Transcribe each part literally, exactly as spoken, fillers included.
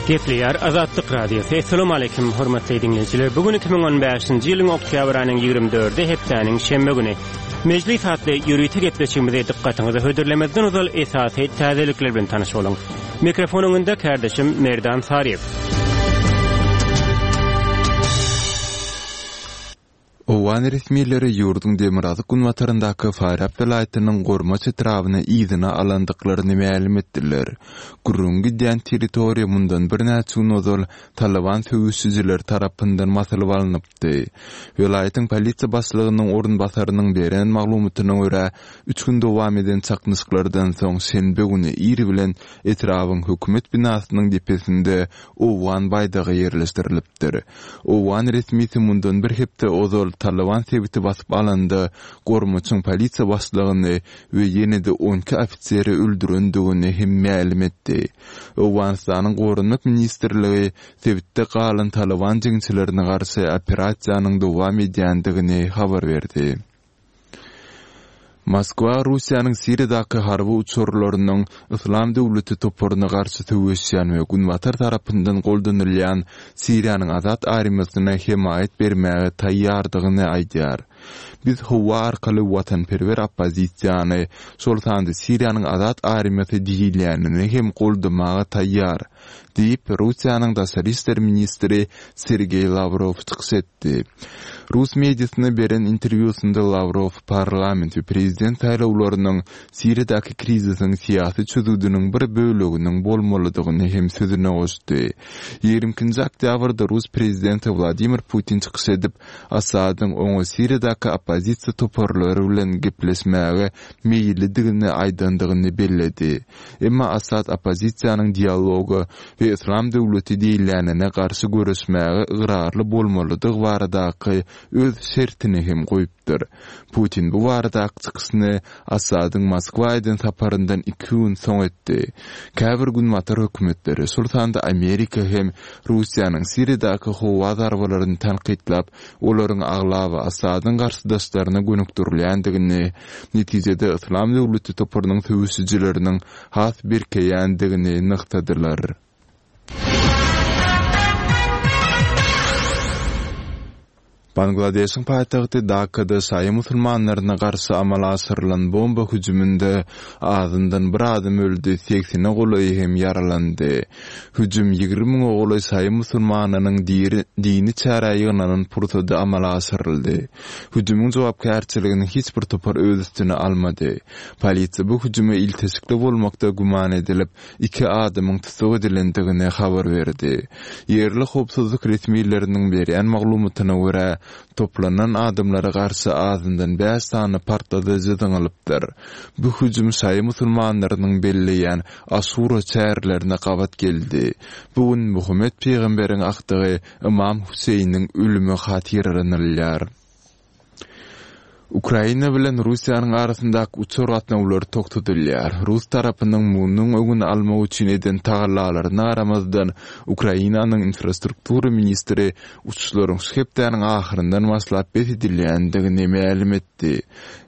Gepleýär Azatlyk Radiosy. Assalamu alaykum hormatly dinleýjiler. Bu gün iki müň on bäşinji ýylyň oktýabr aýynyň ýigrimi dördi hepdäniň şenbe güni. Mejlis atly ýörite gepleşigimizi dykgatyňyza hödürlemezden ozal esasy täzelikler bilen tanyş boluň. Mikrofon öňünde kardeşim Merdan Saryýew. Owgan resmileri ýurduň demirgazyk günbataryndaky Farýab welaýatynyň Gormaç etrabyny yzyna alandyklaryny mälim etdiler. Gürrüň gidýän territoriýa mundan birnäçe gün ozal Taliban söweşijileri tarapyndan basylyp alnypdy. Welaýatyň polisiýa başlygynyň orunbasarynyň beren maglumatyna görä, üç gün dowam eden çaknyşyklardan soň şenbe güni ir bilen etrabyň hökümet binasynyň depesinde Owgan baýdagy ýerleşdirilipdir. Owgan resmisi mundan bir hepde ozal Taliban sebiti basyp alanda Gormaçyň polisiýa başlygyny we ýene-de on iki ofiseri öldürendigini hem mälim etdi. Owganystanyň Goranmak ministrligi sebitde galan Taliban jeňçilerine garşy operasiýanyň dowam edýändigini habar berdi. Moskwa Russiýanyň Siriýadaky harby uçarlarynyň Yslam döwleti toparyna garşy söweşýän we Günbatar tarapyndan goldanylýan Siriýanyň Azat armiýasyna hemaýat bermäge taýýardygyny aýdýar. Biz howa arkaly watanperwer oppozisiýany, şol sanda Siriýanyň Azat armiýasy diýilýänini hem goldamaga taýýar, diýip Russiýanyň daşary işler ministri Sergeý Lawrow çykyş etdi. Rus mediasyna beren interwýusynda Lawrow parlament we prezident saýlawlarynyň Siriýadaky krizisiň syýasy çözgüdiniň bir böleginiň bolmalydygyny hem sözüne goşdy. Ýigrimi ikinji oktýabrda Rus prezidenti Wladimir Putin çykyş edip, Assadyň oňa Siriýadaky oppozisiýa toparlary bilen gepleşmäge meýillidigini aýdandygyny belledi. Emma Assad oppozisiýanyň dialoga we Yslam döwleti diýilýänine garşy göreşmäge ygrarly bolmalydygy baradaky öz şertini hem goýupdyr. Putin bu baradaky çykyşyny Assadyň Moskwa eden saparyndan iki gün soň etdi. Käbir günbatar hökümetleri, şol sanda Amerika hem Russiýanyň Siriýadaky howa zarbalaryny tankytlap, olaryň aglaba Assadyň garşydaşlaryna gönükdirilýändigini, netijede Yslam döwleti toparynyň söweşijileriniň has berkeýändigini nygtadylar. Bangladeşiň paýtagty Dakada şaýy musulmanlaryna garşy amala aşyrylan bomba hüjüminde azyndan bir adam öldi, segsene golaýy hem ýaralandy. Hüjüm ýigrimi müňe golaý şaýy musulmanynyň diri, dini çärä ýygnanan pursady amala aşyryldy. Hüjümiň jogapkärçiligini hiç bir topar öz üstüne almady. Polisiýa bu hüjüme ilteşikli bolmakda güman edilip, iki adamyň tussag edilendigini habar berdi. Ýerli howpsuzlyk resmileriniň berýän maglumatyna görä, toplanan adamlara garşy azyndan bäş sany partladyjy zyňylypdyr. Bu hüjüm şaýy musulmanlarynyň belleýän Aşura çärelerine gabat geldi. Bu gün Muhammet peýgamberiň akdygy Imam Hüseýiniň ölümi hatyralanylýar. Ukraina bilen Russiýanyň arasyndaky uçar gatnawlary togtadylýar. Rus tarapynyň munuň öňüni almak üçin eden tagallalaryna garamazdan, Ukrainanyň infrastruktura ministri uçuşlaryň şu hepdäniň ahyryndan başlap bes edilýändigini mälim etdi.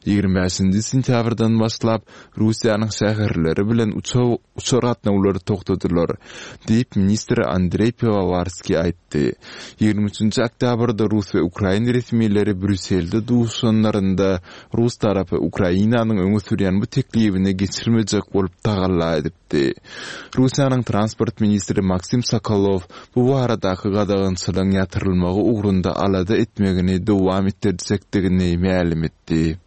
Ýigrimi bäşinji sentýabrdan başlap Russiýanyň şäherleri bilen uçar, uçar gatnawlary togtadylar, diýip ministr Andreý Piwowarskiý aýtdy. Ýigrimi üçünji oktýabrda Rus we Ukrain resmileri Brýusselde duşanlarynda Rus tarapy Ukrainanyň öňe sürýän bu teklibini geçirmejek bolup tagalla edipdi. Russiýanyň transport ministri Maksim Sokolow bu baradaky gadagançylygyň ýatyrylmagy ugrunda alada etmegini dowam etdirjekdigini mälim etdi.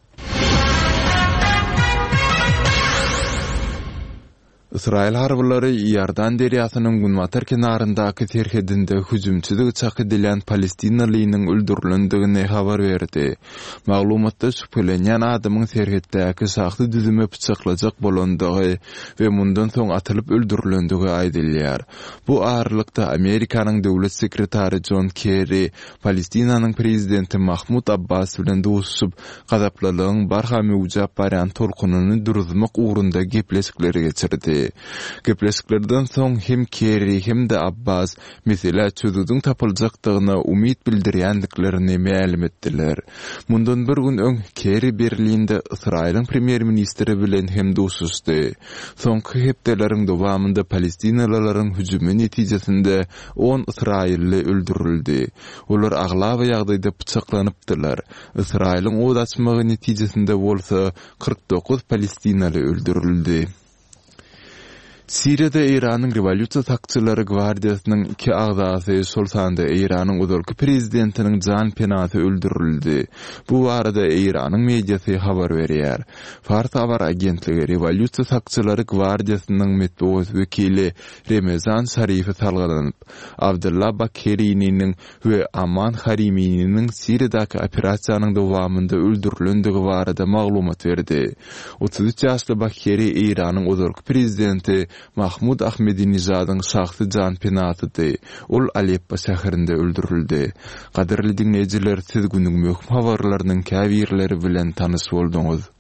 Ysraýyl harbylary Iordan derýasynyň günbatar kenaryndaky serhedinde hüjümçilik çak edilýän palestinalynyň öldürilendigini habar berdi. Maglumatda şübhelenýän adamyň serhetdäki şahsy düzüme pyçaklajak bolandygy we mundan soň atylyp öldürilendigi aýdylýar. Bu aralykda Amerikanyň döwlet sekretary John Kerry Palestinanyň prezidenti Mahmud Abbas bilen duşuşyp, gazaplylygyň barha möwjäp barýan tolkunyny duruzmak ugrunda gepleşikleri geçirdi. Gepleşiklerden soň hem Kerri hem-de Abbas meselä çözgüdiň tapyljakdygyna umyt bildirýändiklerini mälim etdiler. Mundan bir gün öň Kerri Berlinde Ysraýylyň premýer-ministri bilen hem duşuşdy. Soňky hepdeleriň dowamynda palestinalylaryň hüjümi netijesinde on ysraýylly öldürildi. Olar aglaba ýagdaýda pyçaklanypdylar. Ysraýylyň ot açmagy netijesinde bolsa kyrk dokuz palestinaly öldürildi. Siriýada Eýranyň Rewolýusiýa sakçylary gwardiýasynyň iki agzasy, şol sanda Eýranyň ozalky prezidentiniň jan penasy öldürildi. Bu barada Eýranyň mediasy habar berýär. Fars habar agentligi Rewolýusiýa sakçylary gwardiýasynyň metbugat wekili Remezan Şarife salgylanyp, Abdylla Bakerininiň we Aman Harimininiň Siriýadaky operasiýanyň dowamynda öldürilendigi barada maglumat berdi. Otuz üç ýaşly Bakheri Eýranyň ozalky prezidenti Mahmud Ahmedinejadyň şahsy janpenasydy. Ol Aleppo şäherinde öldürildi. Gadyrly diňleýjiler, siz günüň möhüm habarlarynyň käbirleri bilen tanyş bolduňyz.